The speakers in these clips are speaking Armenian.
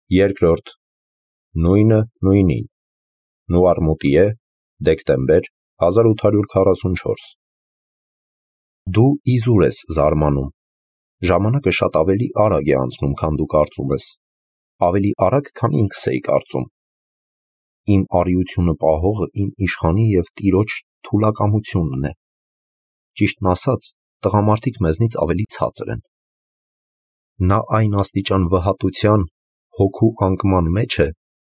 Երկրորդ, նույնը նույնին, Նուարմուտի է, դեկտեմբեր 1844։ Դու իզուր ես զարմանում, ժամանակը շատ ավելի արագ է անցնում, քան դու կարծում ես, ավելի արագ, քան ինքս էի կարծում։ Իմ արիությունը պահողը իմ իշխանի և տիրոջ թուլակամությունն է։ Ճիշտն ասած, տղամարդիկ մեզնից ավելի ցածր են։ Նա այն աստիճան վհատության, հոգու անկման մեջ է,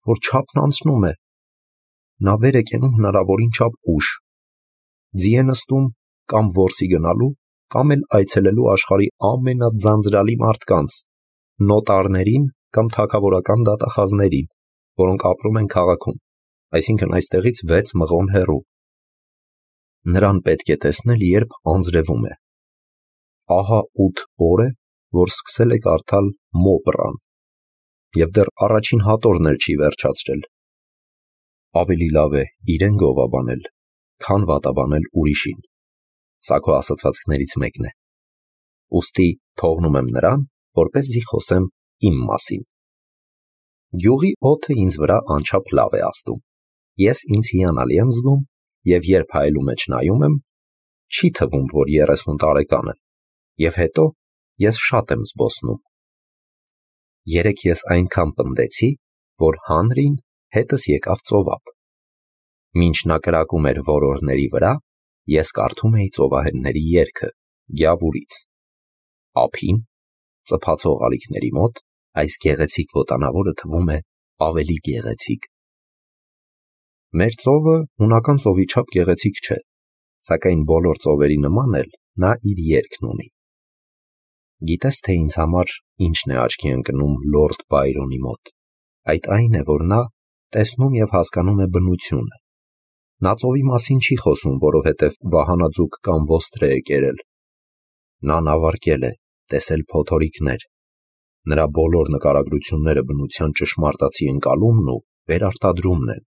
որ չափն անցնում է։ Նա վեր է կենում հնարավորին չափ ուշ, ձի է նստում կամ որսի գնալու, կամ էլ այցելելու աշխարհի ամենաձանձրալի մարդկանց, նոտարներին կամ թագավորական դատախազներին, որոնք ապրում են քաղաքում, այսինքն այստեղից 6 մղոն հեռու։ Նրան պետք է տեսնել, երբ անձրևում է։ Ահա 8 օր է, որ սկսել է կարդալ Մոպրան, և դեռ առաջին հատորն էլ չի վերջացրել։ Ավելի լավ է իրեն գովաբանել, քան վատաբանել ուրիշին, սա քո ասացվածքներից մեկն է։ Ուստի թողնում եմ նրան, որպեսզի խոսեմ իմ մասին։ Գյուղի օդը ինձ վրա անչափ լավ է ազդում։ Ես ինձ հիանալի եմ զգում, և երբ հայելու մեջ նայում եմ, չի թվում, որ 30 տարեկան եմ, և հետո ես շատ եմ զբոսնում։ Երեկ ես այնքան պնդեցի, որ Հանրին հետս եկավ ծովափ։ Մինչ նա կրակում էր որորների վրա, ես կարդում էի ծովահենների երգը Գյավուրից։ Ափին, ծփացող ալիքների մոտ, այս գեղեցիկ ոտանավորը թվում է ավելի գեղեցիկ։ Մեր ծովը հունական ծովի չափ գեղեցիկ չէ, սակայն բոլոր ծովերի նման էլ նա իր երգն ունի։ Գիտես, թե ինձ համար ինչն է աչքի ընկնում Լորդ Բայրոնի մոտ։ Այդ այն է, որ նա տեսնում և հասկանում է բնությունը։ Նա ծովի մասին չի խոսում, որովհետև վահանաձուկ կամ ոստրե է կերել։ Նա նավարկել է, տեսել փոթորիկներ։ Նրա բոլոր նկարագրությունները բնության ճշմարտացի ընկալումն ու վերարտադրումն են։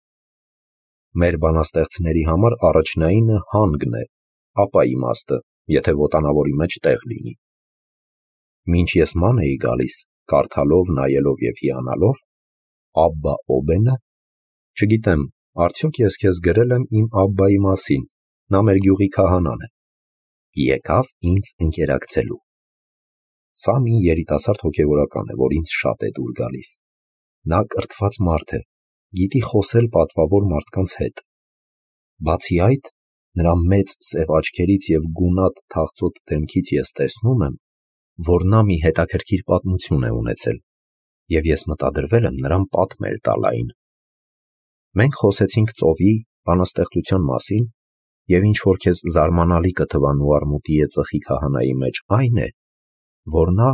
Մեր բանաստեղծների համար առաջնայինը հանգն է, ապա իմաստը, եթե ոտանավորի մեջ տեղ լինի։ Մինչ ես ման էի գալիս, կարդալով, նայելով և հիանալով, Աբբա Օբենը, չգիտեմ, արդյոք ես քեզ գրել եմ իմ Աբբայի մասին, նա մեր գյուղի քահանան է, եկավ ինձ ընկերակցելու։ Սա մի երիտասարդ հոգևորական է, որ ինձ շատ է դուր գալիս։ Նա կրթված մարդ է, գիտի խոսել պատվավոր մարդկանց հետ։ Բացի այդ, նրա մեծ սև աչքերից և գունատ թախծոտ դեմքից ես տեսնում եմ, որ նա մի հետաքրքիր պատմություն է ունեցել, և ես մտադրվել եմ նրան պատմել տալ այն։ Մենք խոսեցինք ծովի, բանաստեղծության մասին, և ինչ որ քեզ զարմանալի կթվա Նուարմուտի ծխի քահանայի մեջ այն է, որ նա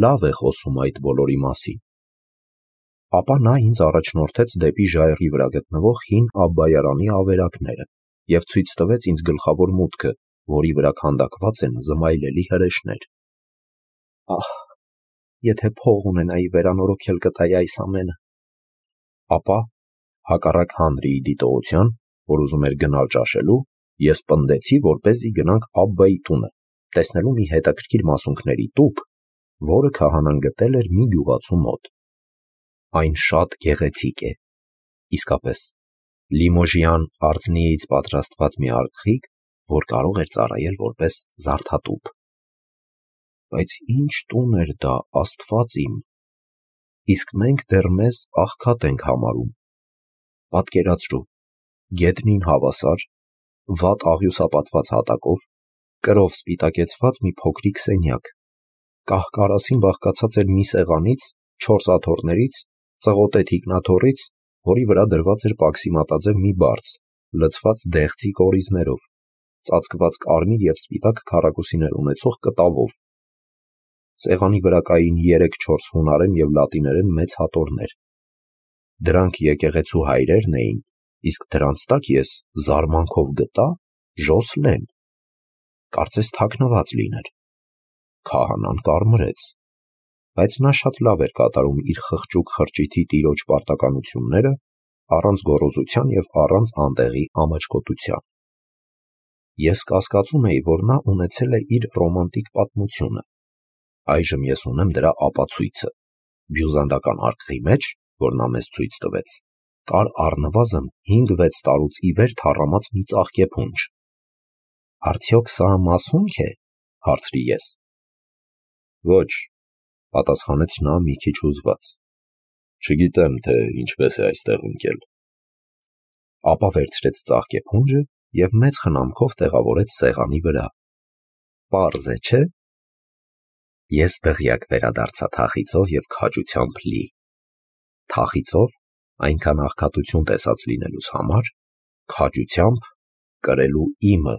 լավ է խոսում այդ բոլորի մասին։ Ապա նա ինձ առաջնորդեց դեպի ժայռի վրա գտնվող հին Աբբայարանի ավերակները և ցույց տվեց ինձ գլխավոր մուտքը, որի վրա քանդակված են զմայլելի հրեշներ։ Ահ, եթե փող ունենայի, վերանորոգել կտայի այս ամենը։ Ապա, հակառակ Հանրիի դիտողության, որ ուզում էր գնալ ճաշելու, ես պնդեցի, որպեսզի գնանք Աբբայի տունը, տեսնելու մի հետաքրքիր մասունքների տուփ, որը քահանան գտել էր մի գյուղացու մոտ։ Այն շատ գեղեցիկ է, իսկապես, Լիմոժյան արծնիից պատրաստված մի արգխիկ, որ կարող էր ծառայել որպես զարդատուփ։ Բայց ինչ տուն էր դա, Աստված իմ, իսկ մենք դեռ մեզ աղքատ ենք համարում։ Պատկերացրու, գետնին հավասար, վատ աղյուսապատված հատակով, կրով սպիտակեցված մի փոքրիկ սենյակ, կահ-կարասին բաղկացած էր մի սեղանից, 4 աթոռներից, ծղոտե թիկնաթոռից, որի վրա դրված էր պաքսի մատաձև մի բարձ, լցված դեղցի կորիզներով, ծածկված կարմիր և սպիտակ քառակուսիներ ունեցող կտավով։ Սեղանի վրա կային 3-4 հունարեն և լատիներեն մեծ հատորներ։ Դրանք եկեղեցու հայրերն էին, իսկ դրանց տակ ես զարմանքով գտա Ժոսլեն, կարծես թաքնված լիներ։ Քահանան կարմրեց, բայց նա շատ լավ էր կատարում իր խղճուկ խրճիթի տիրոջ պարտականությունները, առանց գոռոզության և առանց անտեղի ամաչկոտության։ Ես կասկածում էի, որ նա ունեցել է իր ռոմանտիկ պատմությունը։ Այժմ ես ունեմ դրա ապացույցը, բյուզանդական արկղի մեջ, որ նա մեզ ցույց տվեց, կար առնվազն 5-6 տարուց ի վեր թառամած մի ծաղկե փունջ։ Արդյոք սա մասունք է, հարցրի ես։ Ոչ, պատասխանեց նա մի քիչ հուզված։ Չգիտեմ, թե ինչպես է այստեղ ընկել։ Ապա վերցրեց ծաղկե փունջը և մեծ խնամքով տեղավորեց սեղանի վրա։ Պարզ է, չէ՞։ Ես դղյակ վերադարձա թախիծով և քաջությամբ լի։ Թախիծով, այնքան աղքատություն տեսած լինելուս համար, քաջությամբ կրելու իմը,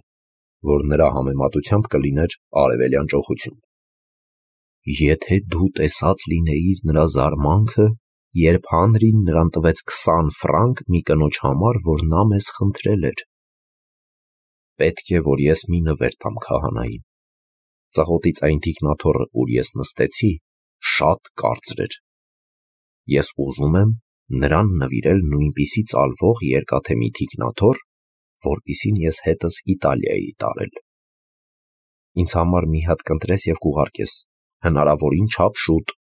որ նրա համեմատությամբ կլիներ արևելյան ճոխություն։ Եթե դու տեսած լինեիր նրա զարմանքը, երբ Հանրին նրան տվեց 20 ֆրանկ մի կնոջ համար, որ նա մեզ խնդրել էր։ Պետք է, որ ես մի նվեր տամ քահանային։ Ծղոտից այն թիկնաթոռը, ուր ես նստեցի, շատ կարծր էր։ Ես ուզում եմ նրան նվիրել նույնպիսի ծալվող երկաթե մի թիկնաթոռ, որպիսին ես հետս Իտալիայի տարել։ Ինձ համար մի հատ կընտրես և կուղարկես, հնարավորին չափ շուտ։